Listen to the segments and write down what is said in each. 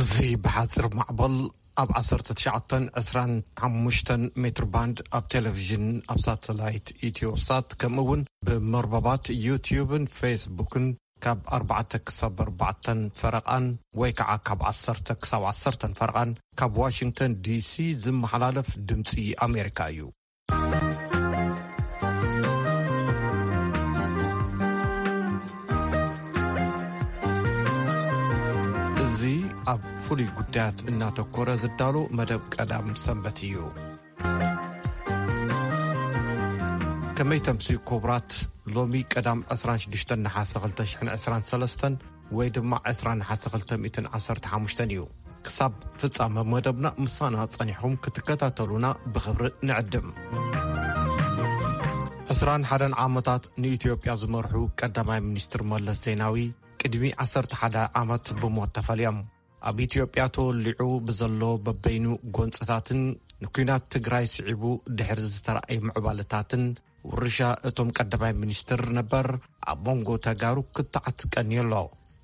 እዚ ብሓፂር ማዕበል ኣብ ዓሰርተ ትሽዓተ ዕስራን ሓሙሽተን ሜትር ባንድ ኣብ ቴሌቪዥን ኣብ ሳተላይት ኢትዮሳት ከምኡ እውን ብመርበባት ዩቲዩብን ፌስቡክን ካብ ኣርባዕተ ክሳብ ኣርባዕተን ፈረቓን ወይ ከዓ ካብ ዓሰርተ ክሳብ ዓሰርተን ፈረቓን ካብ ዋሽንግተን ዲሲ ዝመሓላለፍ ድምፂ ኣሜሪካ እዩ። እዚ ኣብ ፍሉይ ጉዳያት እናተኮረ ዝዳሎ መደብ ቀዳም ሰንበት እዩ። ከመይ ተምሲ ክቡራት፣ ሎሚ ቀዳም ዕስራን ሽዱሽተን ነሓሰ ክልተ ሽሕን ዕስራን ሰለስተን ወይ ድማ ዕስራን ነሓሰ ክልተ ሚእትን ዓሰርተ ሓሙሽተን እዩ። ክሳብ ፍጻመ መደብና ምሳና ጸኒሕኩም ክትከታተሉና ብኽብሪ ንዕድም። ዕስራን ሓደን ዓመታት ንኢትዮጵያ ዝመርሑ ቀዳማይ ሚኒስትር መለስ ዜናዊ ቅድሚ ዓሰርተ ሓደ ዓመት ብሞት ተፈልዮም። ኣብ ኢትዮጵያ ተወሊዑ ብዘሎ በበይኑ ጎንጽታትን ንኲናት ትግራይ ስዒቡ ድሕሪ ዝተራእየ ምዕባለታትን ውርሻ እቶም ቀዳማይ ሚኒስትር ነበር ኣብ መንጎ ተጋሩ ክትዓት ቀንዩ ኣሎ።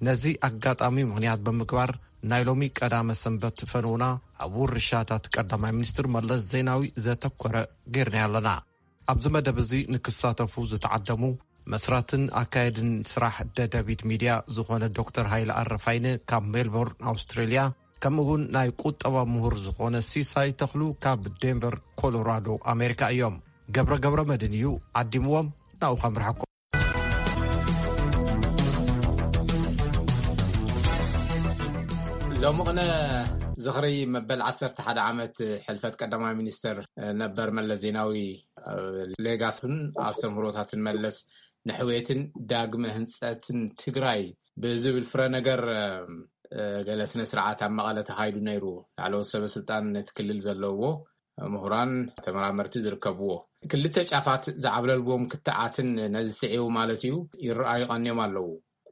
ነዚ ኣጋጣሚ ምኽንያት ብምግባር ናይ ሎሚ ቀዳመ ሰንበት ፈነውና ኣብ ውርሻታት ቀዳማይ ሚኒስትር መለስ ዜናዊ ዘተኮረ ጌርና ኣለና። ኣብዚ መደብ እዚ ንክሳተፉ ዝተዓደሙ መስራትን ኣካየድን ስራሕ ደደቢት ሚድያ ዝኾነ ዶክተር ሃይለ ኣረፋይነ ካብ ሜልቦርን ኣውስትሬልያ፣ ከምኡ እውን ናይ ቁጠባ ምሁር ዝኾነ ሲሳይ ተኽሉ ካብ ዴንቨር ኮሎራዶ ኣሜሪካ እዮም። ገብረ ገብረ መድን እዩ ዓዲምዎም። ናብኡ ከምርሐኩም። ሎሚ ቅነ ዝኽሪ መበል ዓሰርተ ሓደ ዓመት ሕልፈት ቀዳማይ ሚኒስትር ነበር መለስ ዜናዊ ሌጋስን ኣስተምህሮታትን መለስ ንሕውየትን ዳግመ ህንፀትን ትግራይ ብዝብል ፍረ ነገር ገለ ስነ ስርዓት ኣብ መቐለ ተኻይዱ ነይሩ። ላዕለዎት ሰበ ስልጣን ነቲ ክልል ዘለዎ ምሁራን ተመራመርቲ ዝርከብዎ ክልተ ጫፋት ዝዓብለልዎም ክትዓትን ነዚ ስዒቡ ማለት እዩ ይረኣዩ ቀንዮም ኣለዉ።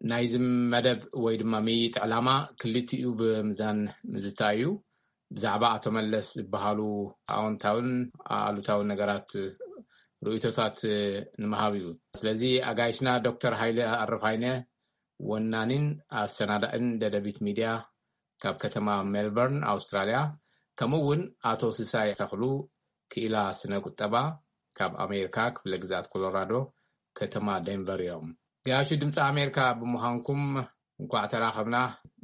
ናይዚ መደብ ወይ ድማ ምይይጥ ዕላማ ክልቲኡ ብምዛን ምዝታይ እዩ። ብዛዕባ ኣቶ መለስ ዝበሃሉ ኣዎንታውን ኣሉታውን ነገራት ርእይቶታት ንምሃብ እዩ። ስለዚ ኣጋይሽና ዶክተር ሃይለ ኣረፋይነ ወናኒን ኣሰናዳእን ደደቢት ሚድያ ካብ ከተማ ሜልበርን ኣውስትራልያ፣ ከምኡ እውን ኣቶ ስሳይ ተኽሉ ክኢላ ስነ ቁጠባ ካብ ኣሜሪካ ክፍለ ግዝኣት ኮሎራዶ ከተማ ዴንቨር እዮም። ገያሹ ድምፂ ኣሜሪካ ብምዃንኩም እንኳዕ ተራኸብና።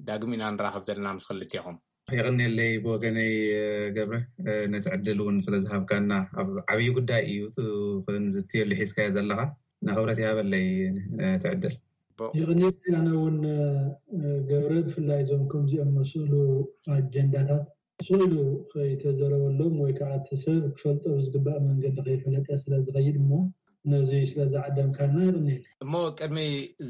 ዳግም ኢና ንራኸብ ዘለና ምስ ክልቴኹም። የቐንየለይ ብወገነይ ገብረ፣ ነቲ ዕድል እውን ስለ ዝሃብካና። ኣብ ዓብዪ ጉዳይ እዩ እቲ ክንዝትየሉ ሒዝካዮ ዘለኻ፣ እና ክብረት ይሃበለይ ነቲ ዕድል። ይቕንየለይ። ኣነ እውን ገብረ፣ ብፍላይ እዞም ከምዚኦም መስሉ ኣጀንዳታት ስኢሉ ከይተዘረበሎም ወይ ከዓ እቲ ሰብ ክፈልጦ ብዝግባእ መንገዲ ከይፈለጠ ስለ ዝኸይድ እሞ ነዚ ስለ ዝዓደምካና ይቕንየለይ። እሞ ቅድሚ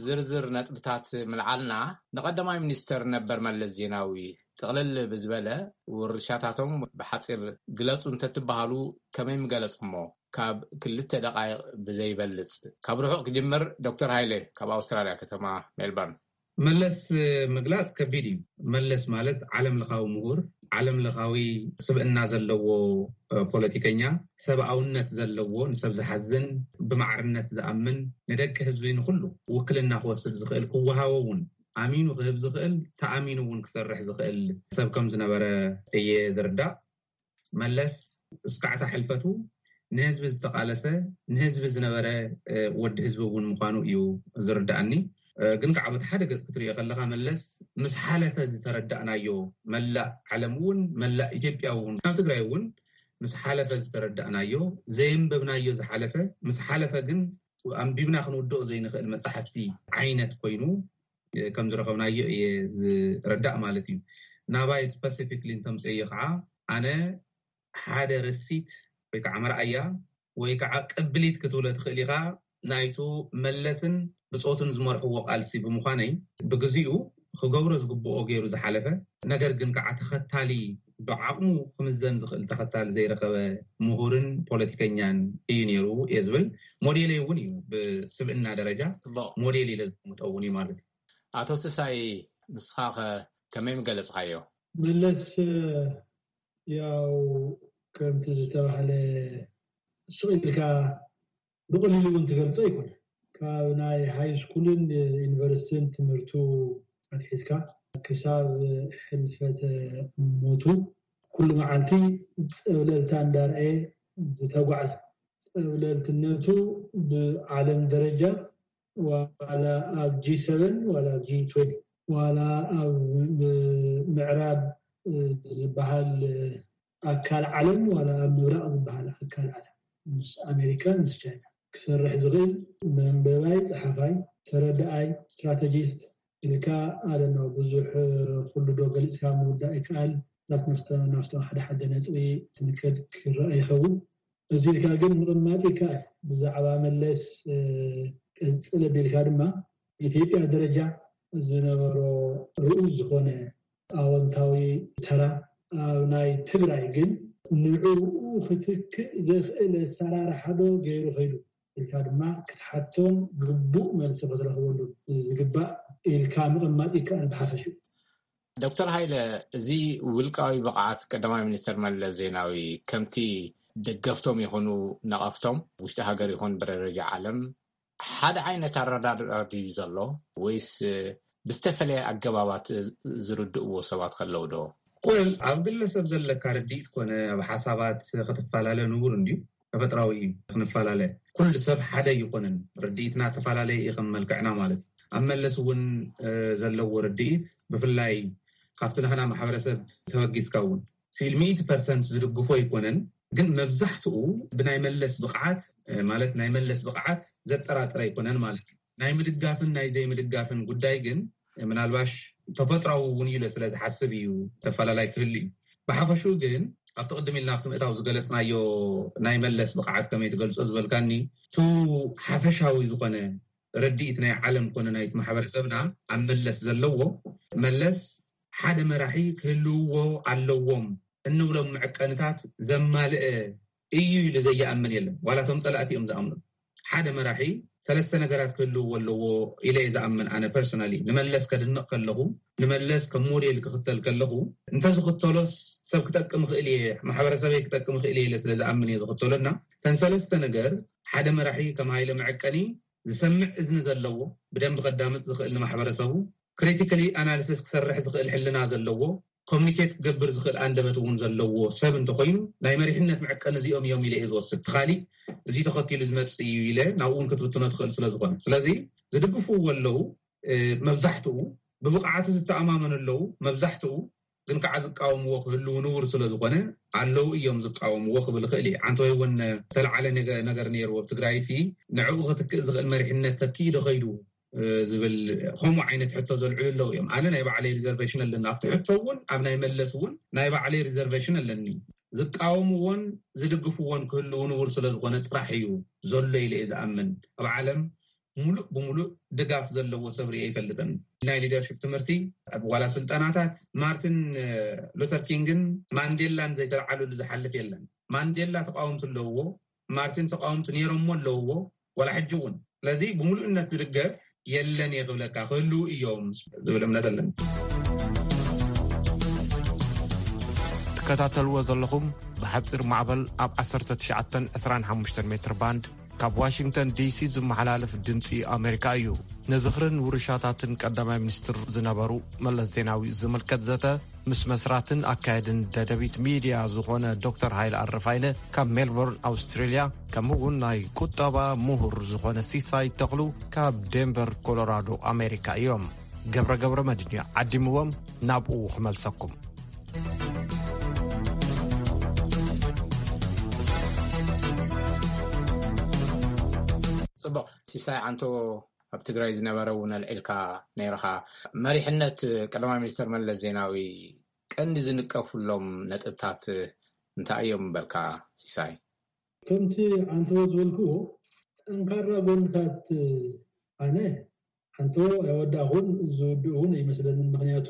ዝርዝር ነጥብታት ምልዓልና፣ ንቀዳማይ ሚኒስተር ነበር መለስ ዜናዊ ጥቕልል ብዝበለ ውርሻታቶም ብሓፂር ግለፁ እንተትበሃሉ ከመይ ምገለፅሞ? ካብ ክልተ ደቃይቕ ብዘይበልፅ። ካብ ርሑቕ ክጅምር፣ ዶክተር ሃይለ ካብ ኣውስትራልያ ከተማ ሜልበርን። መለስ ምግላፅ ከቢድ እዩ። መለስ ማለት ዓለም ለኻዊ ምሁር፣ ዓለም ለኻዊ ስብእና ዘለዎ ፖለቲከኛ፣ ሰብኣውነት ዘለዎ፣ ንሰብ ዝሓዝን፣ ብማዕርነት ዝኣምን፣ ንደቂ ህዝቢ ንኩሉ ውክልና ክወስድ ዝኽእል፣ ክወሃቦ እውን ኣሚኑ ክህብ ዝኽእል፣ ተኣሚኑ እውን ክሰርሕ ዝኽእል ሰብ ከም ዝነበረ እየ ዝርዳእ። መለስ እስካዕታ ሕልፈቱ ንህዝቢ ዝተቓለሰ፣ ንህዝቢ ዝነበረ ወዲ ህዝቢ እውን ምዃኑ እዩ ዝርዳእኒ። ግን ከዓ በቲ ሓደ ገፅ ክትሪኦ ከለካ መለስ ምስ ሓለፈ ዝተረዳእናዮ፣ መላእ ዓለም እውን መላእ ኢትዮጵያ እውን ናብ ትግራይ እውን ምስ ሓለፈ ዝተረዳእናዮ፣ ዘየንበብናዮ ዝሓለፈ፣ ምስ ሓለፈ ግን ኣንቢብና ክንውድኦ ዘይንኽእል መፃሕፍቲ ዓይነት ኮይኑ ከም ዝረኸብናዮ እየ ዝረዳእ ማለት እዩ። ናባይ ስፐሲፊክሊ እንተምፅእዮ ከዓ ኣነ ሓደ ረሲት ወይ ከዓ መርኣያ ወይ ከዓ ቅብሊት ክትብሎ ትኽእል ኢኻ ናይቱ መለስን ብፆቱን ዝመርሕዎ ቃልሲ ብምዃነይ ብግዚኡ ክገብሮ ዝግብኦ ገይሩ ዝሓለፈ፣ ነገር ግን ከዓ ተኸታሊ ብዓቕሙ ክምዘን ዝኽእል ተኸታሊ ዘይረኸበ ምሁርን ፖለቲከኛን እዩ ነይሩ እየ ዝብል። ሞዴለይ እውን እዩ። ብስብእና ደረጃ ሞዴል ኢለ ዝምጠ እውን እዩ ማለት እዩ። ኣቶ ስሳይ፣ ንስኻ ከ ከመይ ምገለጽካዮ? መለስ ያው ከምቲ ዝተባህለ ስቕ ኢልካ ብቐሊሉ እውን ትገልጾ ኣይኮነ። ካብ ናይ ሃይ ስኩልን ዩኒቨርሲቲን ትምህርቱ ኣትሒዝካ ክሳብ ሕልፈተ ሞቱ ኩሉ መዓልቲ ጸብለልታ እንዳርኣየ ዝተጓዕዘ። ጸብለልትነቱ ብዓለም ደረጃ ዋላ ኣብ ጂ ሰቨን ዋላ ኣብ ጂ ትዌንቲ ዋላ ኣብ ምዕራብ ዝበሃል ኣካል ዓለም ዋላ ኣብ ምብራቕ ዝበሃል ኣካል ዓለም ምስ ኣሜሪካን ምስ ቻይና ክሰርሕ ዝኽእል መንበባይ፣ ጸሓፋይ፣ ተረዳኣይ፣ ስትራተጂስት ኢልካ ኣለና። ብዙሕ ኩሉ ዶ ገሊጽካ ምውዳእ ይከኣል። ናብቶም ሓደ ሓደ ነጥቢ ትንከድ ክረኣ ይኸውን። እዚ ኢልካ ግን ምቕማጥ ይከኣል። ብዛዕባ መለስ ቀጽል ኣቢልካ ድማ ኢትዮጵያ ደረጃ ዝነበሮ ርኡይ ዝኾነ ኣወንታዊ ተራ ኣብ ናይ ትግራይ ግን ንዕኡ ክትክእ ዘኽእል ኣሰራርሓ ዶ ገይሩ ከይዱ ኢልካ ድማ ክትሓቶን ግቡእ መልሲ ክትረኽበሉ ዝግባእ ኢልካ ምቕማጥ ይከኣል ብሓፈሽኡ። ዶክተር ሃይለ፣ እዚ ውልቃዊ ብቕዓት ቀዳማይ ሚኒስትር መለስ ዜናዊ ከምቲ ደገፍቶም ይኹኑ ነቐፍቶም ውሽጢ ሃገር ይኹን ብደረጃ ዓለም ሓደ ዓይነት ኣረዳድኣ ድዩ ዘሎ ወይስ ብዝተፈለየ ኣገባባት ዝርድእዎ ሰባት ከለዉ ዶ? ወል ኣብ ግለሰብ ዘለካ ርድኢት ኮነ ኣብ ሓሳባት ክትፈላለ ንቡር እንድዩ። ተፈጥራዊ እዩ ክንፈላለ። ኩሉ ሰብ ሓደ ኣይኮነን። ርድኢትና ተፈላለየ እዩ ከም መልክዕና ማለት እዩ። ኣብ መለስ እውን ዘለዎ ርድኢት ብፍላይ ካብቲ ንሕና ማሕበረሰብ ተበጊስካ እውን ሲል ሚእቲ ፐርሰንት ዝድግፎ ኣይኮነን። ግን መብዛሕትኡ ብናይ መለስ ብቕዓት ማለት ናይ መለስ ብቕዓት ዘጠራጥር ኣይኮነን ማለት እዩ። ናይ ምድጋፍን ናይ ዘይምድጋፍን ጉዳይ ግን ምናልባሽ ተፈጥራዊ እውን ኢለ ስለ ዝሓስብ እዩ ተፈላለይ ክህሉ እዩ። ብሓፈሽኡ ግን ኣብቲ ቅድም ኢልና ኣብቲ ምእታው ዝገለፅናዮ ናይ መለስ ብቕዓት ከመይ ትገልፆ ዝበልካኒ ቱ ሓፈሻዊ ዝኾነ ርድኢት ናይ ዓለም ኮነ ናይቲ ማሕበረሰብና ኣብ መለስ ዘለዎ መለስ ሓደ መራሒ ክህልውዎ ኣለዎም እንብሎም መዐቀንታት ዘማልአ እዩ ኢሉ ዘይኣምን የለን። ዋላ እቶም ፀላእቲ እዮም ዝኣምኑ። ሓደ መራሒ ሰለስተ ነገራት ክህልውዎ ኣለዎ ኢለ እየ ዝኣምን። ኣነ ፐርሶናሊ ንመለስ ከድንቕ ከለኹ፣ ንመለስ ከም ሞዴል ክኽተል ከለኹ፣ እንተዝኽተሎስ ሰብ ክጠቅም ይኽእል እየ፣ ማሕበረሰበይ ክጠቅም ይኽእል እየ ኢለ ስለ ዝኣምን እየ ዝኽተሎ። እና እተን ሰለስተ ነገር ሓደ መራሒ ከም ሃይለ መዐቀኒ ዝሰምዕ እዝኒ ዘለዎ፣ ብደንቢ ከዳምፅ ዝኽእል ንማሕበረሰቡ፣ ክሪቲካሊ ኣናሊሲስ ክሰርሕ ዝኽእል ሕልና ዘለዎ፣ ኮሚኒኬት ክገብር ዝኽእል ኣንደበት እውን ዘለዎ ሰብ እንተኮይኑ ናይ መሪሕነት መዐቀኒ እዚኦም እዮም ኢለ እየ ዝወስድ። እቲ ካሊእ እዚ ተኸቲሉ ዝመፅእ እዩ ኢለ ናብኡ እውን ክትብትኖ ትኽእል ስለ ዝኾነ። ስለዚ ዝድግፍዎ ኣለዉ መብዛሕትኡ፣ ብብቕዓቱ ዝተኣማመኑ ኣለዉ መብዛሕትኡ፣ ግን ከዓ ዝቃወምዎ ክህልዉ ንቡር ስለ ዝኾነ ኣለዉ እዮም ዝቃወምዎ ክብል ይኽእል እየ። ዓንተወይ እውን ዝተለዓለ ነገር ነይርዎ ኣብ ትግራይ ሲ ንዕኡ ክትክእ ዝኽእል መሪሕነት ተኪኡ ዶ ከይዱ ዝብል ከምኡ ዓይነት ሕቶ ዘልዕሉ ኣለዉ እዮም። ኣነ ናይ ባዕለይ ሪዘርቬሽን ኣለኒ ኣብቲ ሕቶ እውን ኣብ ናይ መለስ እውን ናይ ባዕለይ ሪዘርቬሽን ኣለኒ። ዝቃወምዎን ዝድግፍዎን ክህልዉ ንቡር ስለ ዝኾነ ጥራሕ እዩ ዘሎ ኢለ እየ ዝኣምን። ኣብ ዓለም ሙሉእ ብሙሉእ ድጋፍ ዘለዎ ሰብ ርእ ኣይፈልጥን። ናይ ሊደርሽፕ ትምህርቲ ኣብ ዋላ ስልጠናታት ማርቲን ሉተር ኪንግን ማንዴላን ዘይተልዓሉሉ ዝሓልፍ የለን። ማንዴላ ተቃወምቲ ኣለውዎ፣ ማርቲን ተቃወምቲ ነይሮሞ ኣለውዎ፣ ዋላ ሕጂ እውን። ስለዚ ብምሉእነት ዝድገፍ የለን እየ ክብለካ፣ ክህልዉ እዮም ዝብል እምነት ኣለኒ። ትከታተልዎ ዘለኹም ብሓፂር ማዕበል ኣብ ዓሰርተ ትሽዓተ ዕስራን ሓሙሽተን ሜትር ባንድ ካብ ዋሽንግተን ዲሲ ዝመሓላለፍ ድምፂ ኣሜሪካ እዩ። ንዝኽርን ውርሻታትን ቀዳማይ ሚኒስትር ዝነበሩ መለስ ዜናዊ ዝምልከት ዘተ ምስ መስራትን ኣካየድን ደደቢት ሚድያ ዝኾነ ዶክተር ሃይለ ኣረፋይነ ካብ ሜልቦርን ኣውስትሬልያ፣ ከምኡ እውን ናይ ቁጠባ ምሁር ዝኾነ ሲሳይ ተኽሉ ካብ ዴንቨር ኮሎራዶ ኣሜሪካ እዮም። ገብረ ገብረ መድን እዩ ዓዲምዎም፣ ናብኡ ክመልሰኩም። ፅቡቕ። ሲሳይ ዓንቶ፣ ኣብ ትግራይ ዝነበረ እውን ኣልዒልካ ነይርኻ። መሪሕነት ቀዳማይ ሚኒስተር መለስ ዜናዊ ቀንዲ ዝንቀፉሎም ነጥብታት እንታይ እዮም በልካ ሲሳይ? ከምቲ ዓንተዎ ዝበልክዎ፣ ጠንካራ ጎንታት ኣነ ዓንተዎ ኣይወዳእኹን፣ ዝውድእ እውን ኣይመስለንን። ምኽንያቱ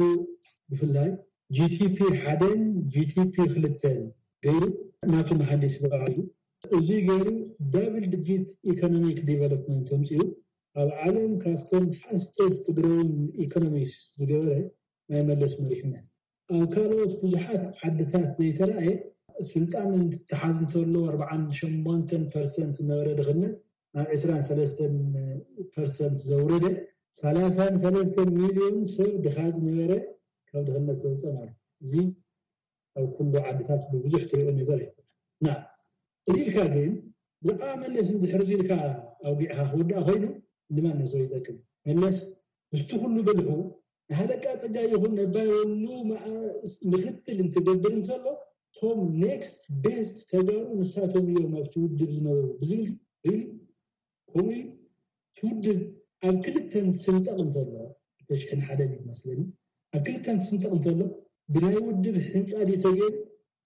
ብፍላይ ጂቲፒ ሓደን ጂቲፒ ክልተን ገይሩ ናቱ መሃንዲስ ባዕሉ እዩ። እዚ ገይሩ ዳብል ዲጂት ኢኮኖሚክ ዲቨሎፕመንት ኣምፂኡ ኣብ ዓለም ካብቶም ፋስተስት ግሮዊንግ ኢኮኖሚስ ዝገበረ ናይ መለስ መሪሕነት። ኣብ ካልኦት ብዙሓት ዓድታት ዘይተራእየ ስልጣን እንትተሓዝ እንተሎ ኣርባዓን ሸሞንተን ፐርሰንት ዝነበረ ድኽነት ናብ ዕስራን ሰለስተን ፐርሰንት ዘውረደ፣ ሰላሳን ሰለስተን ሚልዮን ሰብ ድኻ ዝነበረ ካብ ድኽነት ዘውፅእ ማለት እዩ። እዚ ኣብ ኩሉ ዓድታት ብብዙሕ ትሪኦ ነገር እዩ። ና ኢልካ ግን ብዛዕባ መለስ እንድሕር ኢልካ ኣውጊዕካ ክውዳእ ኮይኑ ንማን ነው ይጠቅም? መለስ ምስቲ ኩሉ ብልሑ ንሃለቃ ጸጋይ ይኹን ነባይ ወሉ ምኽትል እንትገብር እንተሎ እቶም ኔክስት ቤስት ተጋሩ ንሳቶም እዮም ኣብቲ ውድብ ዝነበሩ ብዝብል ሪሊ ከምኡ እዩ። እቲ ውድብ ኣብ ክልተ እንትስንጠቕ እንተሎ ተሽሕን ሓደ መስለኒ ኣብ ክልተ እንትስንጠቕ እንተሎ ብናይ ውድብ ሕንጻ ድዩ ተገይሩ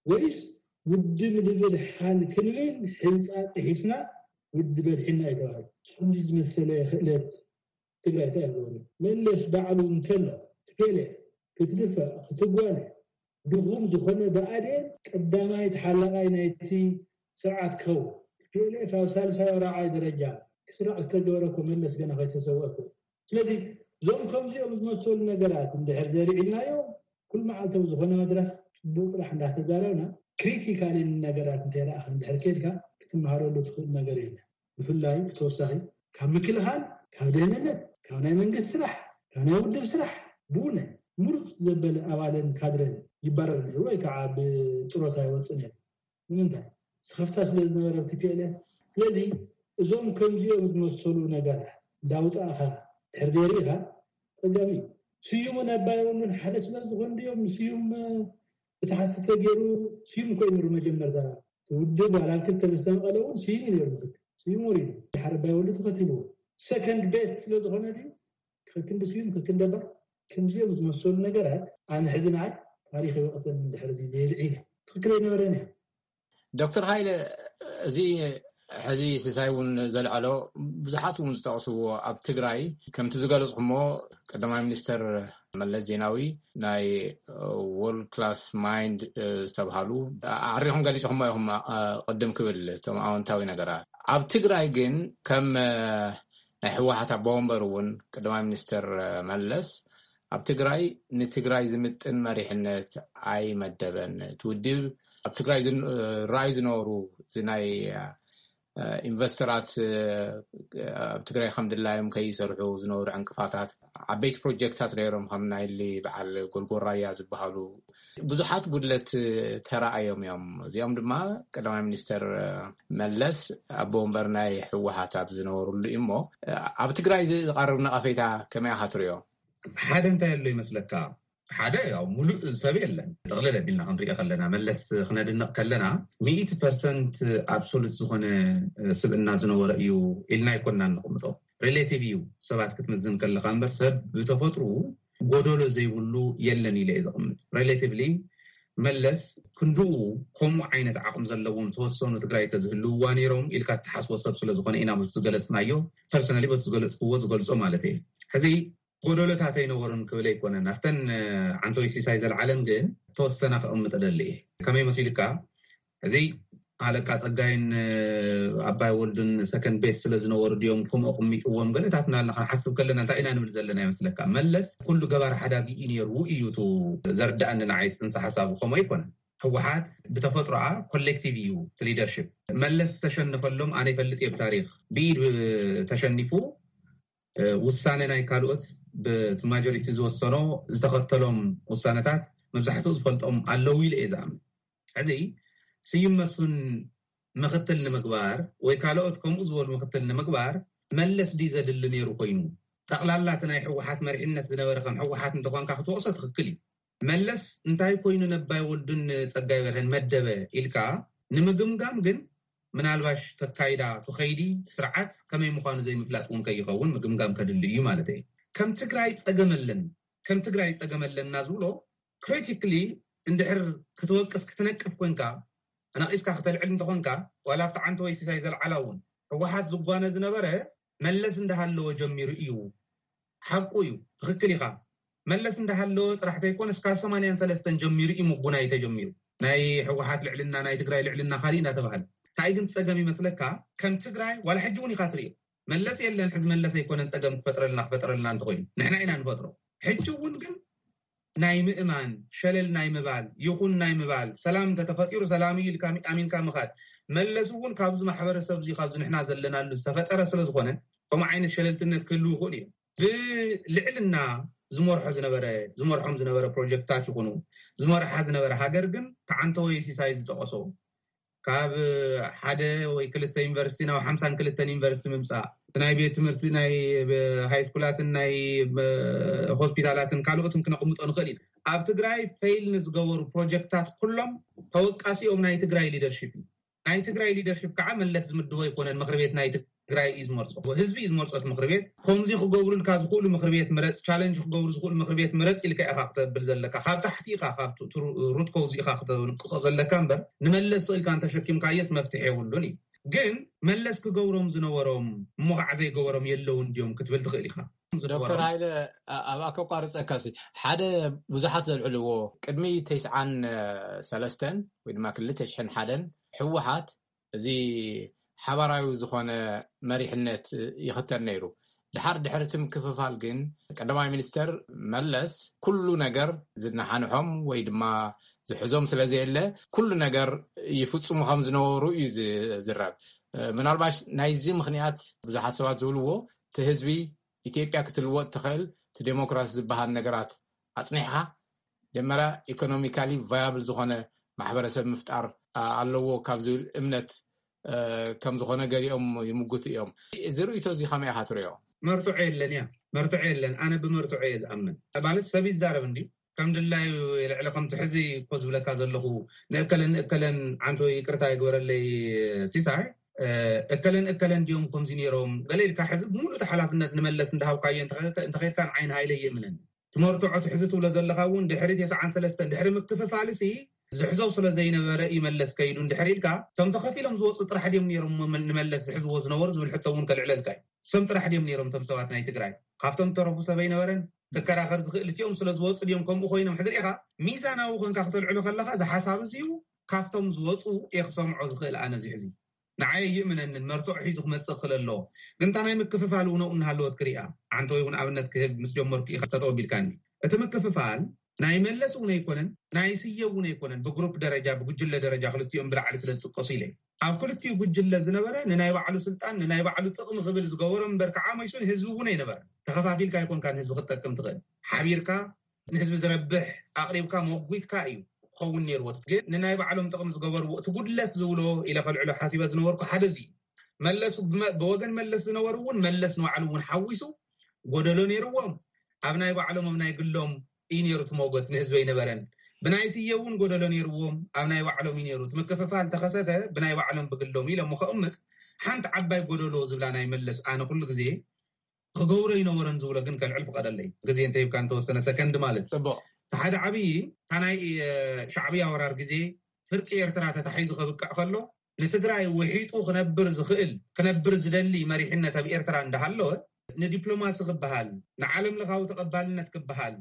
ወይስ ውድብ ንብል ሓን ክንብል ሕንጻ ጥሒስና ውድብ ኣድሒና እዩ ተባሂሉ። ከምዚ ዝመሰለ ክእለት ትግራይ እንታይ ይገብሩ? መለስ ባዕሉ እንተሎ ትፔለ ክትድፈእ ክትጓነ ድኹም ዝኾነ ብኣዴን ቀዳማይ ተሓላቓይ ናይቲ ስርዓት ክኸውን ትፔለ ካብ ሳልሳይ ራብዓይ ደረጃ ክስራዕ ዝተገበረ እኮ መለስ ገና ከይተሰወአ እኮ። ስለዚ እዞም ከምዚኦም ዝመሰሉ ነገራት እንድሕር ዘሪዕልናዮም ኩል መዓልታዊ ዝኾነ መድረኽ ጽቡቕ ጥራሕ እንዳተዛረብና ክሪቲካሊ ነገራት እንተይረኣኻ እንድሕር ከይድካ ክትመሃረሉ ትኽእል ነገር የለን። ብፍላይ ብተወሳኺ ካብ ምክልኻል፣ ካብ ደህንነት፣ ካብ ናይ መንግስቲ ስራሕ፣ ካብ ናይ ውድብ ስራሕ ብውነ ምሩፅ ዘበለ ኣባልን ካድረን ይባረር ነይሩ ወይ ከዓ ብጥሮታ ይወፅእ ነይሩ። ንምንታይ? ስኽፍታ ስለ ዝነበረ ቲፒኤልኤፍ። ስለዚ እዞም ከምዚኦም ዝመሰሉ ነገራት እንዳውፃእኻ ድሕር ዘይርኢኻ ፀገም እዩ። ስዩምን ኣባይ ወሉን ሓደ ስለ ዝኾኑ ድዮም ንስዩም ብታሕቲ ተገይሩ? ስዩም እኮ እዩ ነይሩ መጀመርታ ውድብ ዋላ ክልተ ምስ ተመቐለ እውን ስዩም እዩ ነይሩ ምክትል። ስዩም ወሪዱ ድሓር ኣባይ ወሉ ተኸቲልዎ ሰከንድ ቤስት ስለ ዝኾነ ድዩ? ከክንዲ ስዩም ከክንዲ ኣባይ ከምዚኦም ዝመሰሉ ነገራት ኣነ ሕዚ ንዓይ ታሪኽ ይወቕሰኒ እንድሕር እዚ ዘይልዒ ኢለ ትኽክል ኣይነበረን እያ። ዶክተር ሃይለ፣ እዚ ሕዚ ስሳይ እውን ዘልዐሎ ብዙሓት እውን ዝጠቕስዎ ኣብ ትግራይ ከምቲ ዝገለፅኩሞ ቀዳማይ ሚኒስተር መለስ ዜናዊ ናይ ወርልድ ክላስ ማይንድ ዝተብሃሉ ኣዕሪኹም ገሊፅኹሞ ኢኹም ቅድም ክብል እቶም ኣወንታዊ ነገራት። ኣብ ትግራይ ግን ከም ናይ ህወሓት ኣቦ ወንበር እውን ቀዳማይ ሚኒስተር መለስ ኣብ ትግራይ ንትግራይ ዝምጥን መሪሕነት ኣይመደበን። እቲ ውድብ ኣብ ትግራይ ራይ ዝነበሩ ናይ ኢንቨስተራት ኣብ ትግራይ ከም ድላዮም ከይሰርሑ ዝነበሩ ዕንቅፋታት ዓበይቲ ፕሮጀክታት ነይሮም ከም ናይሊ በዓል ጎልጎራያ ዝበሃሉ ብዙሓት ጉድለት ተረኣዮም እዮም። እዚኦም ድማ ቀዳማይ ሚኒስተር መለስ ኣቦ ወንበር ናይ ህወሓት ኣብ ዝነበሩሉ እዩ። እሞ ኣብ ትግራይ ዝቐርብ ነቐፌታ ከመይ ኢኻ ትሪኦ? ሓደ እንታይ ኣሎ ይመስለካ? ሓደ ያው ሙሉእ ሰብ የለን። ጥቕልል ኣቢልና ክንሪኦ ከለና መለስ ክነድንቕ ከለና ሚእቲ ፐርሰንት ኣብሶሉት ዝኾነ ስብእና ዝነበረ እዩ ኢልና ኣይኮንና እንቕምጦ። ሪሌቲቭ እዩ ሰባት ክትምዝን ከለካ እምበር ሰብ ብተፈጥሩ ጎደሎ ዘይብሉ የለን ኢለ እየ ዘቕምጥ። ሪሌቲቭሊ መለስ ክንድኡ ከምኡ ዓይነት ዓቕሚ ዘለዎም ተወሰኑ ትግራይ ተዝህልውዋ ነይሮም ኢልካ እትሓስቦ ሰብ ስለዝኾነ ኢና በቲ ዝገለፅናዮ ፐርሰናሊ በቲ ዝገለፅክዎ ዝገልፆ ማለት እየ። ሕዚ ጎደሎታት ኣይነበሩን ክብል ኣይኮነን። ኣብተን ዓንቶይ ሲሳይ ዘለዓለም ግን ተወሰና ክቕምጥ እደሊ እየ። ከመይ መሲልካ እዚ ኣለቃ ፀጋይን ኣባይ ወልዱን ሰከንድ ቤስት ስለ ዝነበሩ ድዮም ከምኡ ኣቕሚጥዎም ገለታት እናልና ክንሓስብ ከለና እንታይ ኢና ንብል ዘለና ይመስለካ? መለስ ኩሉ ገባር ሓዳጊ እዩ ነይሩ እዩ እቲ ዘርድኣኒ ንዓይ ፅንሰ ሓሳቡ ከምኡ ኣይኮነን። ህወሓት ብተፈጥሮኣ ኮሌክቲቭ እዩ እቲ ሊደርሽፕ። መለስ ዝተሸነፈሎም ኣነ ይፈልጥ እየ ብታሪክ ብኢድ ተሸኒፉ ውሳነ ናይ ካልኦት ብቲ ማጆሪቲ ዝወሰኖ ዝተኸተሎም ውሳነታት መብዛሕትኡ ዝፈልጦም ኣለዉ ኢለ እየ ዝኣምን። ሕዚ ስዩም መስፍን ምክትል ንምግባር ወይ ካልኦት ከምኡ ዝበሉ ምክትል ንምግባር መለስ ድዩ ዘድሊ ነይሩ ኮይኑ? ጠቕላላ እቲ ናይ ህወሓት መሪሕነት ዝነበረ ከም ህወሓት እንተኾንካ ክትወቕሶ ትኽክል እዩ። መለስ እንታይ ኮይኑ ነባይ ወልዱን ጸጋይ በርሀን መደበ ኢልካ ንምግምጋም ግን ምናልባሽ ተካይዳ ትኸይዲ ስርዓት ከመይ ምዃኑ ዘይምፍላጥ እውን ከይኸውን ምግምጋም ከድሊ እዩ ማለት እዩ። ከም ትግራይ ጸገም ኣለን ከም ትግራይ ጸገም ኣለና ዝብሎ ክሪቲክሊ እንድሕር ክትወቅስ ክትነቅፍ ኮንካ ኣናቒስካ ክተልዕል እንተኾንካ ዋላ ኣብቲ ዓንተ ወይ ሲሳይ ዘልዓላ እውን ህወሓት ዝጓነ ዝነበረ መለስ እንዳሃለወ ጀሚሩ እዩ። ሓቁ እዩ። ትኽክል ኢኻ። መለስ እንዳሃለወ ጥራሕ ተይኮነስ ካብ ሰማንያን ሰለስተን ጀሚሩ እዩ ምጉናይ ተጀሚሩ። ናይ ህወሓት ልዕልና ናይ ትግራይ ልዕልና ካሊእ እንዳተባሃለ እንታይ ግን ፀገም ይመስለካ ከም ትግራይ ዋላ ሕጂ እውን ኢኻ ትሪኦ መለስ የለን ሕዚ መለስ ኣይኮነን ፀገም ክፈጥረልና ክፈጥረልና እንተኮይኑ ንሕና ኢና ንፈጥሮ። ሕጂ እውን ግን ናይ ምእማን ሸለል ናይ ምባል ይኹን ናይ ምባል ሰላም እንተተፈጢሩ ሰላም እዩ ኢልካ ኣሚንካ ምኻድ መለስ እውን ካብዚ ማሕበረሰብ እዚ ካብዚ ንሕና ዘለናሉ ዝተፈጠረ ስለዝኾነ ከምኡ ዓይነት ሸለልትነት ክህልው ይኽእሉ እዮም። ብልዕልና ዝመርሖ ዝነበረ ዝመርሖም ዝነበረ ፕሮጀክታት ይኹኑ ዝመርሓ ዝነበረ ሃገር ግን ተዓንተወይ ሲሳይ ዝጠቐሶ ካብ ሓደ ወይ ክልተ ዩኒቨርሲቲ ናብ ሓምሳን ክልተን ዩኒቨርሲቲ ምምፃእ ናይ ቤት ትምህርቲ ናይ ሃይስኩላትን ናይ ሆስፒታላትን ካልኦትን ክነቕምጦ ንኽእል ኢና። ኣብ ትግራይ ፌይል ንዝገበሩ ፕሮጀክታት ኩሎም ተወቃሲኦም ናይ ትግራይ ሊደርሽፕ እዩ። ናይ ትግራይ ሊደርሽፕ ከዓ መለስ ዝምድቦ ኣይኮነን። ምክሪ ቤት ናይ ትግራይ እዩ ዝመርፆ፣ ህዝቢ እዩ ዝመርፆ። እቲ ምክሪ ቤት ከምዚ ክገብሩልካ ዝኽእሉ ምክሪ ቤት ምረፅ፣ ቻለንጅ ክገብሩ ዝኽእሉ ምክሪ ቤት ምረፅ ኢልካ ኢኻ ክተብል ዘለካ። ካብ ታሕቲ ኢኻ ካብ ሩት ኮዝ ኢኻ ክተንቅሶ ዘለካ እምበር ንመለስ ስኢልካ እንተሸኪምካየስ መፍትሒ የብሉን እዩ። ግን መለስ ክገብሮም ዝነበሮም እሞ ከዓ ዘይገበሮም የለውን ድዮም ክትብል ትኽእል ኢኻ። ዶክተር ሃይለ፣ ኣብኣ ከቋርፀካ ሲ ሓደ ብዙሓት ዘልዕልዎ ቅድሚ ተስዓን ሰለስተን ወይ ድማ ክልተ ሽሕን ሓደን ህወሓት እዚ ሓባራዊ ዝኾነ መሪሕነት ይኽተል ነይሩ። ድሓር ድሕሪ እቲ ምክፍፋል ግን ቀዳማይ ሚኒስተር መለስ ኩሉ ነገር ዝነሓንሖም ወይ ድማ ዝሕዞም ስለ ዘየለ ኩሉ ነገር ይፍፅሙ ከም ዝነበሩ እዩ ዝዝረብ። ምናልባሽ ናይዚ ምኽንያት ብዙሓት ሰባት ዝብልዎ እቲ ህዝቢ ኢትዮጵያ ክትልወጥ ትኽእል እቲ ዴሞክራሲ ዝበሃል ነገራት ኣፅኒሕኻ ጀመራ ኢኮኖሚካሊ ቫያብል ዝኾነ ማሕበረሰብ ምፍጣር ኣለዎ ካብ ዝብል እምነት ከም ዝኾነ ገሊኦም ይምጉቱ እዮም። እዚ ርእይቶ እዚ ከመይ ኢኻ ትሪኦ? መርትዖ የለን እያ፣ መርትዖ የለን። ኣነ ብመርትዖ እየ ዝኣምን። ማለት ሰብ ይዛረብ እንዲ ከም ድላዩ የልዕለ። ከምቲ ሕዚ እኮ ዝብለካ ዘለኹ ንእከለን እከለን ዓንቶ ይቅርታ ይግበረለይ ሲሳይ፣ እከለን እከለን ድዮም ከምዚ ነይሮም ገለ ኢልካ ሕዚ ብምሉእ ሓላፍነት ንመለስ እንዳሃብካዮ እንተኸድካ ንዓይን ሃይለ ይእምነኒ። ትመርትዖ ትሕዚ ትብሎ ዘለኻ እውን ድሕሪ ተስዓን ሰለስተን ድሕሪ ምክፍፋልሲ ዝሕዞ ስለ ዘይነበረ ይመለስ ከይዱ እንድሕር ኢልካ እቶም ተኸፊሎም ዝወፁ ጥራሕ ድዮም ነይሮም ንመለስ ዝሕዝዎ ዝነበሩ ዝብል ሕቶ እውን ከልዕለልካ እዩ። ሰም ጥራሕ ድዮም ነይሮም እቶም ሰባት ናይ ትግራይ ካብቶም ተረፉ ሰብ ኣይነበረን። ክከራኸር ዝኽእል እቲኦም ስለ ዝወፁ ድዮም ከምኡ ኮይኖም ሕዚ ሪኢኻ ሚዛናዊ ኮንካ ክተልዕሎ ከለኻ እዚ ሓሳብ እዚዩ ካብቶም ዝወፁ እየ ክሰምዖ ዝኽእል ኣነ እዚ ሕዚ ንዓይ ይእምነንን መርትዖ ሒዙ ክመፅእ ክኽእል ኣለዎ። ግን እታ ናይ ምክፍፋል እውን ኣብኡ እናሃለወት ክሪኣ ዓንተ ወይ እውን ኣብነት ክህብ ምስ ጀመርኩ ኢኻ ጠጠው ኣቢልካኒ። እቲ ምክፍፋል ናይ መለስ እውን ኣይኮነን ናይ ስየ እውን ኣይኮነን። ብግሩፕ ደረጃ ብጉጅለ ደረጃ ክልቲኦም ብላዕሊ ስለ ዝጥቀሱ ኢለ ኣብ ክልቲኡ ጉጅለ ዝነበረ ንናይ ባዕሉ ስልጣን ንናይ ባዕሉ ጥቕሚ ክብል ዝገበሮ እምበር ከዓ መይሱ ንህዝቢ እውን ኣይነበረ። ተኸፋፊልካ ኣይኮንካ ንህዝቢ ክትጠቅም ትኽእል። ሓቢርካ ንህዝቢ ዝረብሕ ኣቕሪብካ መጉትካ እዩ ክኸውን ነይርዎ። ግን ንናይ ባዕሎም ጥቕሚ ዝገበርዎ እቲ ጉድለት ዝብሎ ኢለ ከልዕሎ ሓሲበ ዝነበርኩ ሓደ እዚ እዩ። መለሱ ብወገን መለስ ዝነበሩ እውን መለስ ንባዕሉ እውን ሓዊሱ ጎደሎ ነይርዎም። ኣብ ናይ ባዕሎም ኣብ ናይ ግሎም እዩ ነይሩ እቲ ሞጎት ንህዝቢ ኣይነበረን። ብናይ ስየ እውን ጎደሎ ነይርዎም። ኣብ ናይ ባዕሎም እዩ ነይሩ። እቲ ምክፍፋል ተኸሰተ ብናይ ባዕሎም ብግሎም ኢለ እሞ ከቕምጥ ሓንቲ ዓባይ ጎደሎ ዝብላ ናይ መለስ ኣነ ኩሉ ግዜ ክገብሮ ይነበረን ዝብሎ ግን ከልዕል ፍቐደለይ ግዜ እንተሂብካ እንተወሰነ ሰከንድ ማለት ጽቡቕ። እቲ ሓደ ዓብዪ እታ ናይ ሻዕብያ ወራር ግዜ ፍርቂ ኤርትራ ተታሒዙ ከብቅዕ ከሎ ንትግራይ ውሒጡ ክነብር ዝኽእል ክነብር ዝደሊ መሪሕነት ኣብ ኤርትራ እንዳሃለወ ንዲፕሎማሲ ክበሃል ንዓለም ለኻዊ ተቐባልነት ክበሃል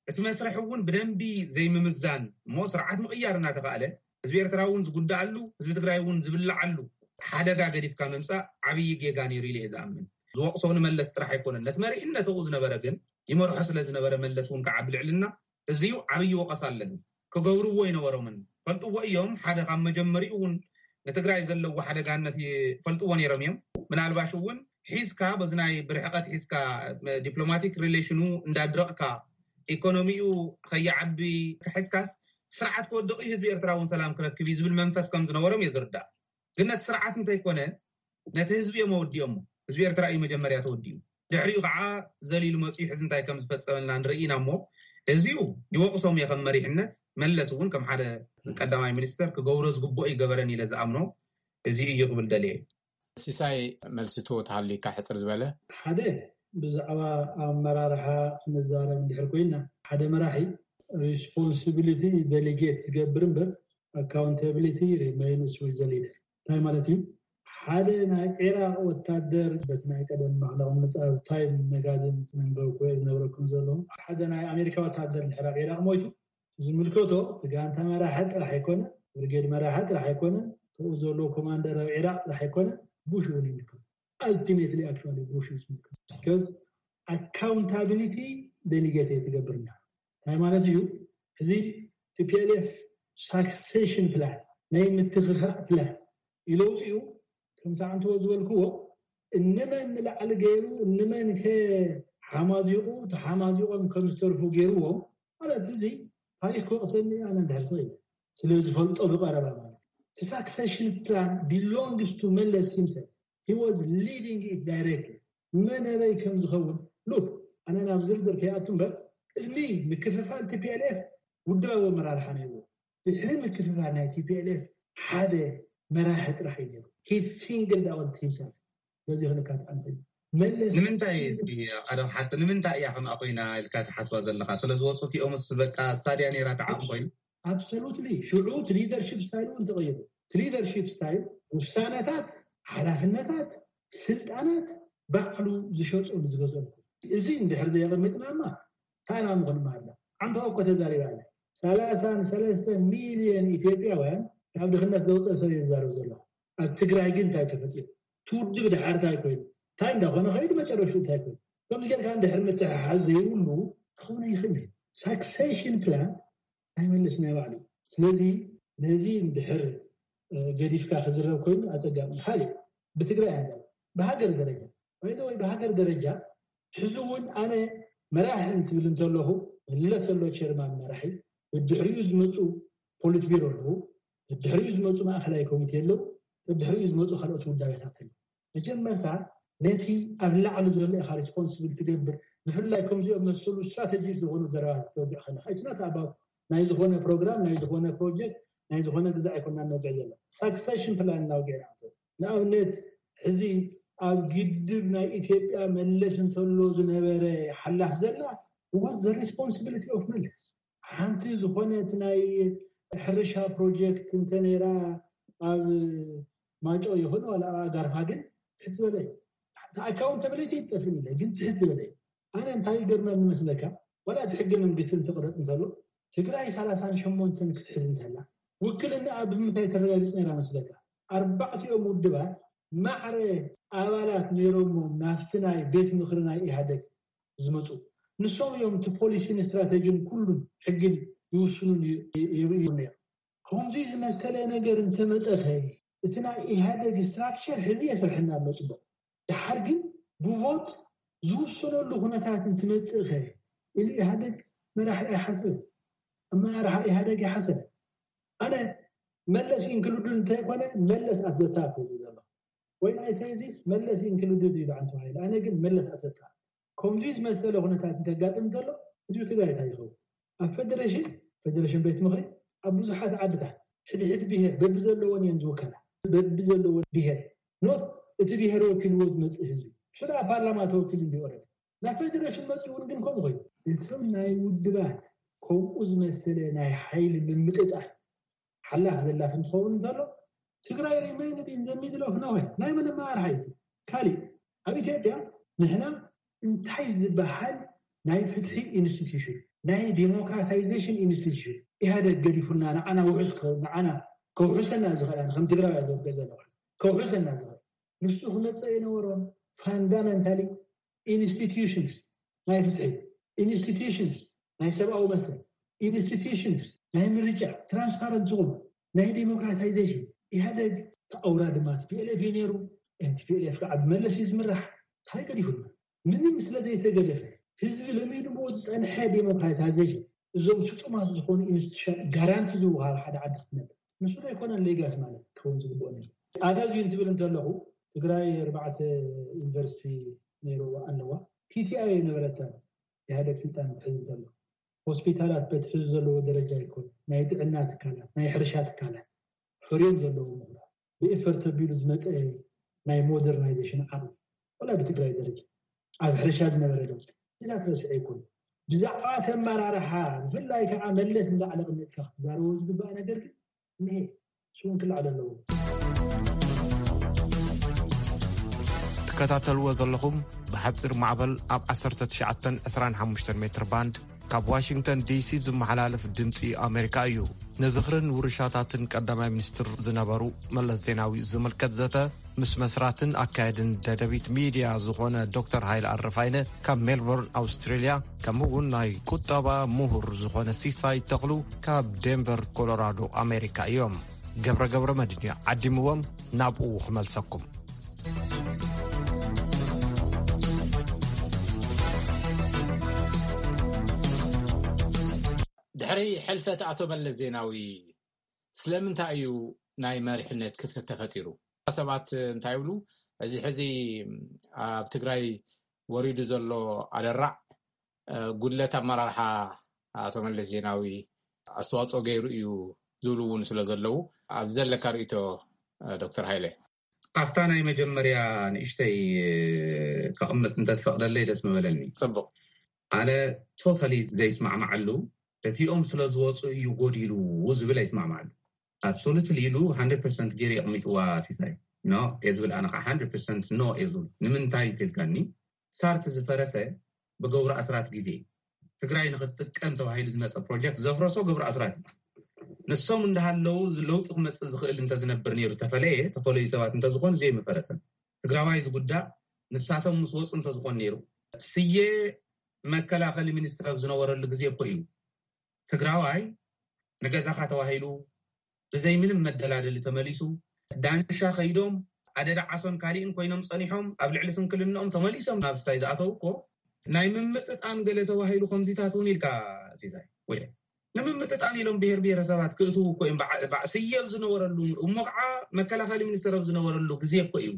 እቲ መስርሕ እውን ብደንቢ ዘይምምዛን እሞ ስርዓት ምቕያር እናተኻእለ ህዝቢ ኤርትራ እውን ዝጉዳኣሉ ህዝቢ ትግራይ እውን ዝብላዓሉ ሓደጋ ገዲፍካ ምምፃእ ዓብዪ ጌጋ ነይሩ ኢለ እየ ዝኣምን። ዝወቕሶ ንመለስ ጥራሕ ኣይኮነን ነቲ መሪሕነት ኣብኡ ዝነበረ ግን ይመርሖ ስለ ዝነበረ መለስ እውን ከዓ ብልዕልና እዚዩ ዓብዪ ወቐሳ ኣለኒ። ክገብርዎ ኣይነበሮምን ፈልጥዎ እዮም። ሓደ ካብ መጀመሪኡ እውን ንትግራይ ዘለዎ ሓደጋነት ይፈልጥዎ ነይሮም እዮም። ምናልባሽ እውን ሒዝካ በዚ ናይ ብርሕቐት ሒዝካ ዲፕሎማቲክ ሪሌሽኑ እንዳድረቕካ ኢኮኖሚኡ ከይዓቢ ሒዝካስ ስርዓት ክወድቕ እዩ ህዝቢ ኤርትራ እውን ሰላም ክረክብ እዩ ዝብል መንፈስ ከም ዝነበሮም እየ ዝርዳእ። ግን ነቲ ስርዓት እንተይኮነ ነቲ ህዝቢ እዮም ኣወዲኦሞ። ህዝቢ ኤርትራ እዩ መጀመርያ ተወዲኡ። ድሕሪኡ ከዓ ዘሊሉ መፂኡ ሕዚ እንታይ ከም ዝፈፀመልና ንርኢ ኢና እሞ እዚኡ ይወቕሶም እየ ከም መሪሕነት። መለስ እውን ከም ሓደ ቀዳማይ ሚኒስተር ክገብሮ ዝግብኦ ይገበረን ኢለ ዝኣምኖ እዚ እዩ ክብል ደልየ። ሲሳይ መልስቶ ተሃልዩካ ሕፅር ዝበለ። ሓደ ብዛዕባ ኣመራርሓ ክንዛረብ እንድሕር ኮይና ሓደ መራሒ ሪስፖንሲቢሊቲ ደሊጌት ዝገብር እምበር ኣካውንታቢሊቲ ሪሜይንስ ዊዝ ዘ ሊደር። እንታይ ማለት እዩ? ሓደ ናይ ዒራቕ ወታደር በቲ ናይ ቀደም ማዕለቕ ምጻብ ታይም መጋዝን መንበብ ኮየ ዝነብረኩም ዘለኹ ሓደ ናይ ኣሜሪካ ወታደር ድሕር ኣብ ዒራቕ ሞይቱ ዝምልከቶ እቲ ጋንታ መራሒ ጥራሕ ኣይኮነ፣ ብርጌድ መራሒ ጥራሕ ኣይኮነ፣ ተኡ ዘሎ ኮማንደር ኣብ ዒራቕ ጥራሕ ኣይኮነ፣ ቡሽ እውን ይምልከቶ። ኣልቲሜትሊ ኣክቹዋሊ ቡሽ እዩ ዝምልከቶ። ቢካዝ ኣካውንታቢሊቲ ደሊጌት እየ ትገብር እንዳ እንታይ ማለት እዩ? እዚ ቲ ፒ ኤል ኤፍ ሳክሴሽን ፕላን ናይ ምትኽኻእ ፕላን ኢለ ውፅኡ ከምቲ ዓንተዎ ዝበልክዎ እንመን ንላዕሊ ገይሩ እንመን ከ ሓማዚቑ ተሓማዚቖም ከም ዝተርፉ ገይርዎም ማለት እዚ ታሪክ ክወቕሰኒ ኣነ እንድሕር ስቕ ኢለ ስለ ዝፈልጦ ብቐረባ ማለት እቲ succession plan belongs to መለስ himself. He was leading it directly. መን ኣበይ ከም ዝኸውን look ኣነ ናብ ዝርዝር ከይኣቱ እምበር ቅድሚ ምክፍፋል T P L F ውድባዊ ኣመራርሓ ነይርዎ። ድሕሪ ምክፍፋል ናይ T P L F ሓደ መራሒ ጥራሕ እዩ ነይሩ። He singled out himself. በዚ ክንካትዕ ንኽእል። መለስ ንምንታይ እስኪ ቀደም ሓቂ ንምንታይ እያ ከምኣ ኮይና ኢልካ ትሓስባ ዘለኻ? ስለ ዝወፁ እቲኦምስ በቃ እሳ ድያ ነይራ ተዓም ኮይኑ? Absolutely። ሽዑ እቲ leadership style እውን ተቐይሩ። እቲ leadership style ውሳነታት፣ ሓላፍነታት፣ ስልጣናት ባዕሉ ዝሸጦም ዝገዘኦም። እዚ እንድሕር ዘየቐሚጥና እማ ታና ምኾን ማላ ዓንታ እኮ ተዛሪባ ኣላ። ሰላሳን ሰለስተ ሚልዮን ኢትዮጵያውያን ካብ ድኽነት ዘውፅእ ሰብ እየ ዝዛረብ ዘለኹ። ኣብ ትግራይ ግን እንታይ ተፈጢሩ? እቲ ውድብ ድሓር እንታይ ኮይኑ? እንታይ እንዳኾነ ከይዱ መጨረሽኡ እንታይ ኮይኑ? ከምዚ ጌርካ እንድሕር ምትሕሓዝ ዘይብሉ ክኸውን ኣይኽእል እዩ። Succession plan ኣይመልስ ናይ ባዕሉ። ስለዚ ነዚ እንድሕር ገዲፍካ ክዝረብ ኮይኑ ኣፀጋሚ። ካልእ ብትግራይ ኣንዳ ብሃገር ደረጃ ወይ ወይ ብሃገር ደረጃ ሕዚ እውን ኣነ መራሒ እንትብል እንተለኹ መለስ ዘሎ ቸርማን መራሒ ብድሕሪኡ ዝመፁ ፖሊት ቢሮ ኣለዉ፣ ብድሕሪኡ ዝመፁ ማእኸላይ ኮሚቴ ኣለዉ፣ ብድሕሪኡ ዝመፁ ካልኦት ውዳቤታት ኣለዉ። መጀመርታ ነቲ ኣብ ላዕሊ ዘሎ ኢኻ ሪስፖንስብል ትገብር። ብፍላይ ከምዚኦም መሰሉ ስትራተጂ ዝኾኑ ዘረባታት ተወግዕ ከለካ it's not about ናይ ዝኾነ ፕሮግራም ናይ ዝኾነ ፕሮጀክት ናይ ዝኾነ ግዛዕ ኣይኮና ነውግዕ ዘሎ ሳክሰሽን ፕላን እናውግዕ ኢና ንኣብነት ሕዚ ኣብ ግድብ ናይ ኢትዮጵያ መለስ እንተሎ ዝነበረ ሓላፍ ዘላ was the responsibility of መለስ ሓንቲ ዝኾነት ናይ ሕርሻ ፕሮጀክት እንተነይራ ኣብ ማይጨው ይኹን ዋላ ኣብ ኣጋርፋ ግን ትሕት ዝበለ እዩ። ኣካውንታብሊቲ ይጠፍእ ኢለ ግን ትሕት ዝበለ እዩ። ኣነ እንታይ ይገርመኒ መስለካ ዋላ እቲ ሕገ መንግስቲ እንትቕረፅ እንተሎ ትግራይ ሰላሳን ሸሞንተን ክትሕዝ እንተላ ውክልና ኣብ ብምንታይ ተረጋግፅ ነይራ መስለካ? ኣርባዕቲኦም ውድባት ማዕረ ኣባላት ነይሮሞም ናብቲ ናይ ቤት ምኽሪ ናይ ኢህኣደግ ዝመፁ ንሶም እዮም እቲ ፖሊሲን ስትራተጂን ኩሉን ሕግን ይውስኑን ይርእዩ ነይሩ። ከምዚ ዝመሰለ ነገር እንተመጠኸ እቲ ናይ ኢህኣደግ ስትራክቸር ሕዚ የስርሐና ኣሎ ፅቡቅ። ድሓር ግን ብቮት ዝውሰነሉ ኩነታት እንትመፅእኸ ኢሉ ኢህኣደግ መራሒ ኣይሓስብ። ኣመራርሓ ኢህኣደግ ይሓሰብ። ኣነ መለስ ኢንክሉድድ እንተይኮነ መለስ ኣት ዘ ታፕ እዩ ዘሎ። ወይ ናይ ሰይዚስ መለስ ኢንክሉድድ እዩ በዓል ተባሂሉ። ኣነ ግን መለስ ኣት ዘ ታፕ። ከምዚ ዝመሰለ ኩነታት እንተጋጥም ዘሎ ህዝቢ ትግራይ እንታይ ይኸውን? ኣብ ፌደሬሽን፣ ፌደሬሽን ቤት ምኽሪ ኣብ ብዙሓት ዓድታት ሕድሕድ ብሄር በብዘለዎን እየን ዝውከላ። በብዘለዎን ብሄር ኖት እቲ ብሄር ወኪልዎ ዝመፅእ ህዝቢ ሽዳ ፓርላማ ተወኪሉ እንዲ ኦረዲ ናብ ፌደሬሽን መፅኡ እውን ግን ከምኡ ኮይኑ እቶም ናይ ውድባት ከምኡ ዝመሰለ ናይ ሓይሊ ምምጥጣር ሓላፍ ዘላፍ እንትኸውን እንተሎ ትግራይ ሪሜይንድ ኢን ዘ ሚድል ኦፍ ኖዌር ናይ መን ኣመራርሓ እዩ? ካሊእ ኣብ ኢትዮጵያ ንሕና እንታይ ዝበሃል ናይ ፍትሒ ኢንስቲትዩሽን ናይ ዴሞክራታይዜሽን ኢንስቲትዩሽን ኢህኣደግ ገዲፉና ንዓና ውሑስ ከ- ንዓና ከውሕሰና ዝኽእል ኣነ ከም ትግራዋይ ዘወገ ዘለኹ ከውሕሰና ዝኽእል ንሱ ክመፀ የነበሮን ፋንዳመንታሊ ኢንስቲትዩሽንስ ናይ ፍትሒ ኢንስቲትዩሽንስ ናይ ሰብኣዊ መሰል ኢንስቲትዩሽንስ ናይ ምርጫ ትራንስፓረንት ዝኾኑ ናይ ዴሞክራታይዜሽን ኢህኣደግ ተኣውራ ድማ ቲፒኤልኤፍ እዩ ነይሩ። ቲፒኤልኤፍ ከዓ ብመለስ እዩ ዝምራሕ። እንታይ ገዲፉና? ምንም ስለ ዘይተገደፈ ህዝቢ ለሚድዎ ዝፀንሐ ዴሞክራታይዜሽን እዞም ስጡማት ዝኾኑ ኢንስቲቱሽን ጋራንቲ ዝወሃብ ሓደ ዓዲ ክትነብር ንሱ ዘይኮነን ሌጋሲ ማለት ክኸውን ዝግብኦ ነይሩ። ኣነ እዚ እንትብል እንተለኹ ትግራይ ኣርባዕተ ዩኒቨርሲቲ ነይሩ ኣለዋ። ቲቲኣይ የነበረታ ኢህኣደግ ስልጣን ክትሕዝ እንተሎ ሆስፒታላት በቲ ሕዚ ዘለዎ ደረጃ ይኮን ናይ ጥዕና ትካላት ናይ ሕርሻ ትካላት ሕርዮም ዘለዎም ምሁራት ብኤፈርት ኣቢሉ ዝመፀ ናይ ሞደርናይዜሽን ዓቕሚ ዋላ ብትግራይ ደረጃ ኣብ ሕርሻ ዝነበረ ለውጢ እዛ ትረስዐ ይኮን ብዛዕባ ተመራርሓ ብፍላይ ከዓ መለስ እንዳዕለ ቅድሚትካ ክትዛረቦ ዝግባእ ነገር ግን እኒሄ እሱ እውን ክልዓል ኣለዎ። ትከታተልዎ ዘለኹም ብሓፂር ማዕበል ኣብ ዓሰርተ ትሽዓተን ዕስራን ሓሙሽተን ሜትር ባንድ ካብ ዋሽንግተን ዲሲ ዝመሓላለፍ ድምፂ ኣሜሪካ እዩ። ንዝኽርን ውርሻታትን ቀዳማይ ሚኒስትር ዝነበሩ መለስ ዜናዊ ዝምልከት ዘተ ምስ መስራትን ኣካየድን ደደቢት ሚድያ ዝኾነ ዶክተር ሃይለ ኣረፋይነ ካብ ሜልቦርን ኣውስትሬልያ ከምኡ እውን ናይ ቁጠባ ምሁር ዝኾነ ሲሳይ ተኽሉ ካብ ዴንቨር ኮሎራዶ ኣሜሪካ እዮም። ገብረ ገብረ መድን እዩ ዓዲምዎም ናብኡ ክመልሰኩም። ድሕሪ ሕልፈት ኣቶ መለስ ዜናዊ ስለምንታይ እዩ ናይ መሪሕነት ክፍተት ተፈጢሩ? ሰባት እንታይ ይብሉ? እዚ ሕዚ ኣብ ትግራይ ወሪዱ ዘሎ ኣደራዕ፣ እ፣ ጉድለት ኣመራርሓ ኣቶ መለስ ዜናዊ ኣስተዋፅኦ ገይሩ እዩ ዝብሉ እውን ስለ ዘለዉ፣ ኣብ ዘለካ ርእይቶ፣ እ፣ ዶክተር ሃይለ? ኣብታ ናይ መጀመርያ ንእሽተይ፣ እ፣ ከቕምጥ እንተትፈቕደለይ ደስ ምበለኒ። ጽቡቕ። ኣነ ቶታሊ ዘይስማዕማዓሉ፣ እቲኦም ስለ ዝወፁ እዩ ጎዲሉ ዝብል ኣይስማዕማዓሉ። ኣብሶሉትሊ ኢሉ ሃንድረድ ፐርሰንት ገይሩ የቕሚጥዋ ሲሳይ። ኖ እየ ዝብል፣ ኣነ ከዓ ሃንድረድ ፐርሰንት ኖ እየ ዝብል። ንምንታይ እንተልካኒ፣ ሳርት ዝፈረሰ ብገብሩ ኣስራት ግዜ እዩ። ትግራይ ንክትጥቀም ተባሂሉ ዝመፀ ፕሮጀክት ዘፍረሶ ገብሩ ኣስራት እዩ። ንሶም እንዳሃለዉ ለውጢ ክመፅእ ዝኽእል እንተዝነብር ነይሩ፣ ተፈለየ፣ ተፈለዩ ሰባት እንተዝኾኑ ዘይምፈረሰን። ትግራዋይ ዝጉዳእ ንሳቶም ምስ ወፁ እንተዝኾን ነይሩ፣ ስየ መከላኸሊ ሚኒስትር ኣብ ዝነበረሉ ግዜ እኮ እዩ ትግራዋይ ንገዛኻ ተባሂሉ ብዘይ ምንም መደላደሊ ተመሊሱ፣ ዳንሻ ከይዶም ኣደዳ ዓሶን ካሊእን ኮይኖም ጸኒሖም፣ ኣብ ልዕሊ ስንክልንኦም ተመሊሶም ናብ ስታይ ዝኣተው እኮ ናይ ምምጥጣን ገለ ተባሂሉ ከምዚታት እውን ኢልካ፣ ሲሳይ፣ ወይ ንምምጥጣን ኢሎም ብሄር ብሄረሰባት ክእትዉ እኮ እዮም። በዓ-፣ በዓ-፣ ስየ ኣብ ዝነበረሉ እሞ ከዓ መከላኸሊ ሚኒስተር ኣብ ዝነበረሉ ግዜ እኮ እዩ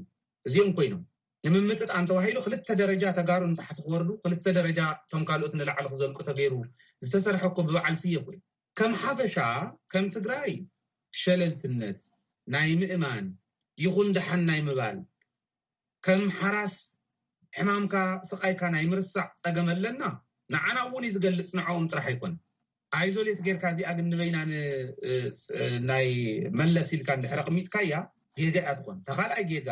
እዚኦም ኮይኖም። ንምምጥጣን ተባሂሉ ክልተ ደረጃ ተጋሩ ንታሕቲ ክወርዱ፣ ክልተ ደረጃ እቶም ካልኦት ንላዕሊ ክዘልቁ ተገይሩ ዝተሰርሐ እኮ ብበዓል ስየ እኮ እዩ። ከም ሓፈሻ፣ ከም ትግራይ ሸለልትነት ናይ ምእማን ይኹን ደሓን ናይ ምባል፣ ከም ሓራስ ሕማምካ ስቓይካ ናይ ምርሳዕ ጸገም ኣለና። ንዓና እውን እዩ ዝገልጽ፣ ንዕኦም ጥራሕ ኣይኮነን። ኣይዞሌት ጌርካ እዚኣ ግን ንበይና ን-፣ እ፣ ስ-፣ እ፣ ናይ መለስ ኢልካ እንድሕር ኣቕሚጥካያ ጌጋ እያ ትኾን። እታ ካልኣይ ጌጋ፣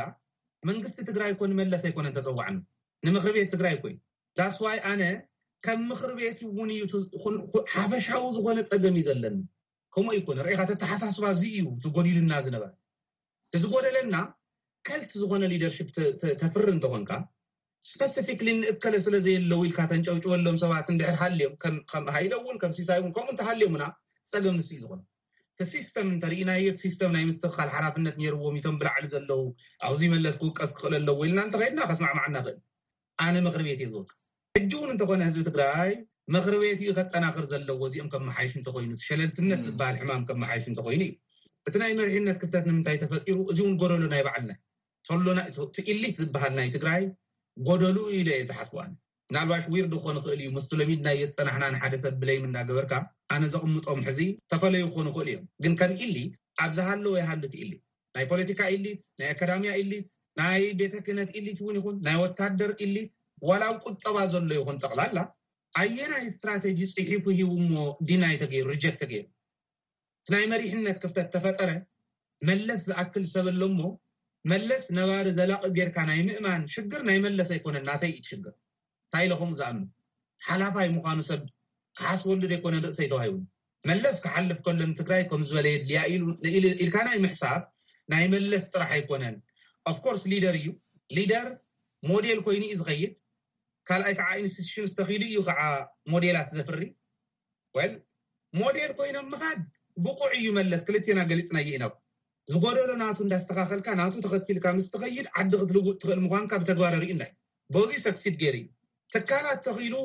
መንግስቲ ትግራይ እኮ ንመለስ ኣይኮነን ተጸዋዕኑ፣ ንምኽሪ ቤት ትግራይ እኮ እዩ። ዳስዋይ ኣነ ከም ምኽሪ ቤት እውን እዩ ት-፣ ኹን-፣ ኹ-፣ ሓፈሻዊ ዝኾነ ጸገም እዩ ዘለኒ። ከምኡ ኣይኮነ፣ ርኢኻ፣ ተተሓሳስባ እዚ እዩ እቲ ጎዲሉና ዝነበረ። እቲ ዝጎደለና ከልት ዝኾነ ሊደርሽፕ ተ-፣ ተ-፣ ተፍሪ እንተኾንካ፣ ስፐሲፊክሊ ንእከለ ስለ ዘየለዉ ኢልካ ተንጨብጭበሎም ሰባት እንድሕር ሃልዮም፣ ከም፣ ከም ሃይለ እውን፣ ከም ሲሳይ እውን፣ ከምኡ እንተሃልዮምና፣ ጸገም ንሱ እዩ ዝኾነ። እቲ ሲስተም እንተርኢናዮ፣ እቲ ሲስተም ናይ ምስትኽኻል ሓላፍነት ነይርዎም፣ እቶም ብላዕሊ ዘለዉ፣ ኣብዚ መለስ ክውቀስ ክኽእል ኣለዎ ኢልና እንተኸይድና፣ ከስማዕማዓና ይኽእል። ኣነ ምኽሪ ቤት እየ ዝወቅስ። ሕጂ እውን እንተኾነ ህዝቢ ትግራይ ምኽሪ ቤት እዩ ከጠናኽር ዘለዎ፣ እዚኦም ከመሓይሽ እንተኾይኑ፣ እቲ ሸለልትነት ም። ዝበሃል ሕማም ከመሓይሽ እንተኾይኑ እዩ። እቲ ናይ መሪሕነት ክፍተት ንምንታይ ተፈጢሩ? እዚ እውን ጎደሎ ናይ ባዕልና። ተሎና፣ እቲ፣ እቲ ኢሊት ዝበሃል ናይ ትግራይ ጎደሉ ኢለ እየ ዝሓስቡ ኣነ። ምናልባሽ ዊርድ ክኾን ይኽእል እዩ፣ ምስቲ ለሚድናዮ ዝጸናሕና ንሓደ ሰብ ብለይም እንዳገበርካ ኣነ ዘቕምጦም ሕዚ ተፈለዩ ክኾኑ ይኽእሉ እዮም። ግን ከም ኢሊት ኣብ ዝሃለወ ይሃሉ እቲ ኢሊት። ናይ ፖለቲካ ኢሊት፣ ናይ ኣካዳሚያ ኢሊት፣ ናይ ቤተ ክህነት ኢሊት እውን ይኹን፣ ናይ ወታደር ኢሊት፣ ዋላ ኣብ ቁጠባ ዘሎ ይኹን ጠቕላላ፣ ኣየናይ ስትራቴጂ ጽሒፉ ሂቡ እሞ ዲናይ ተገይሩ፣ ሪጀክት ተገይሩ? እቲ ናይ መሪሕነት ክፍተት ተፈጠረ። መለስ ዝኣክል ሰብ ኣሎ እሞ፣ መለስ ነባሪ ዘላቒ ጌርካ ናይ ምእማን ሽግር ናይ መለስ ኣይኮነን፣ ናተይ እዩ ሽግር። እንታይ ኢለ ከምኡ ዝኣምን? ሓላፋይ ምዃኑ ሰብ ክሓስበሉ ዘይኮነ ርእሰይ ተዋሂቡ። መለስ ክሓልፍ ከሎ ንትግራይ ከም ዝበለ የድልያ ኢሉ፣ ኢሉ፣ ኢልካ ናይ ምሕሳብ ናይ መለስ ጥራሕ ኣይኮነን። ኦፍኮርስ ሊደር እዩ። ሊደር ሞዴል ኮይኑ እዩ ዝኸይድ። ካልኣይ ከዓ ኢንስቲቱሽንስ ተኺሉ እዩ ከዓ ሞዴላት ዘፍሪ። ወል ሞዴል ኮይኖም ምኻድ ብቑዕ እዩ መለስ፣ ክልቴና ገሊጽናዮ ኢና። ዝጎደሎ ናቱ እንዳስተኻኸልካ ናቱ ተኸቲልካ ምስ ትኸይድ ዓዲ ክትልውጥ ትኽእል ምዃንካ ብተግባር ኣርእዩና እዩ። በዚ ሰክሲድ ገይሩ እዩ። ትካላት ተኺሉ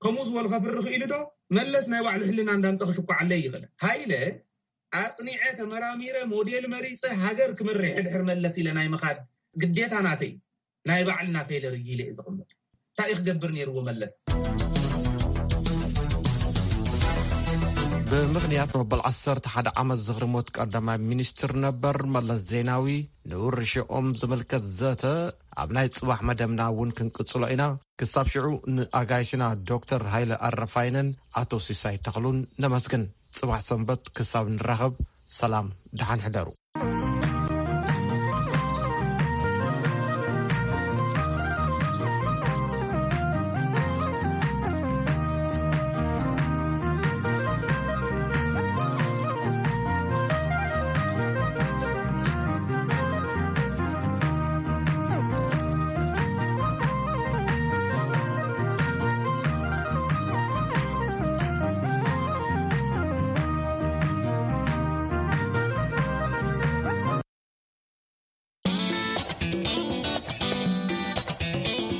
ከምኡ ዝበሉ ከፍሪ ክኢሉ ዶ? መለስ ናይ ባዕሉ ሕልና እንዳምጸ ክሽኩዓለይ ይኽእል። ሃይለ ኣጽኒዐ ተመራሚረ ሞዴል መሪጸ ሃገር ክመርሕ ድሕር መለስ ኢለ ናይ ምኻድ ግዴታ ናተይ እዩ። ናይ ባዕልና ፌለር እዩ ኢለ እየ ዘቕምጥ። እንታይ እዩ ክገብር ነይርዎ መለስ? ብምኽንያት መበል ዓሰርተ ሓደ ዓመት ዝኽሪ ሞት ቀዳማይ ሚኒስትር ነበር መለስ ዜናዊ ንውርሻኦም ዝምልከት ዘተ ኣብ ናይ ጽባሕ መደብና እውን ክንቅጽሎ ኢና። ክሳብ ሽዑ ንኣጋይሽና ዶክተር ሃይለ ኣረፋይነን ኣቶ ሲሳይ ተኽሉን ነመስግን። ጽባሕ ሰንበት ክሳብ ንራኸብ ሰላም፣ ደሓን ሕደሩ።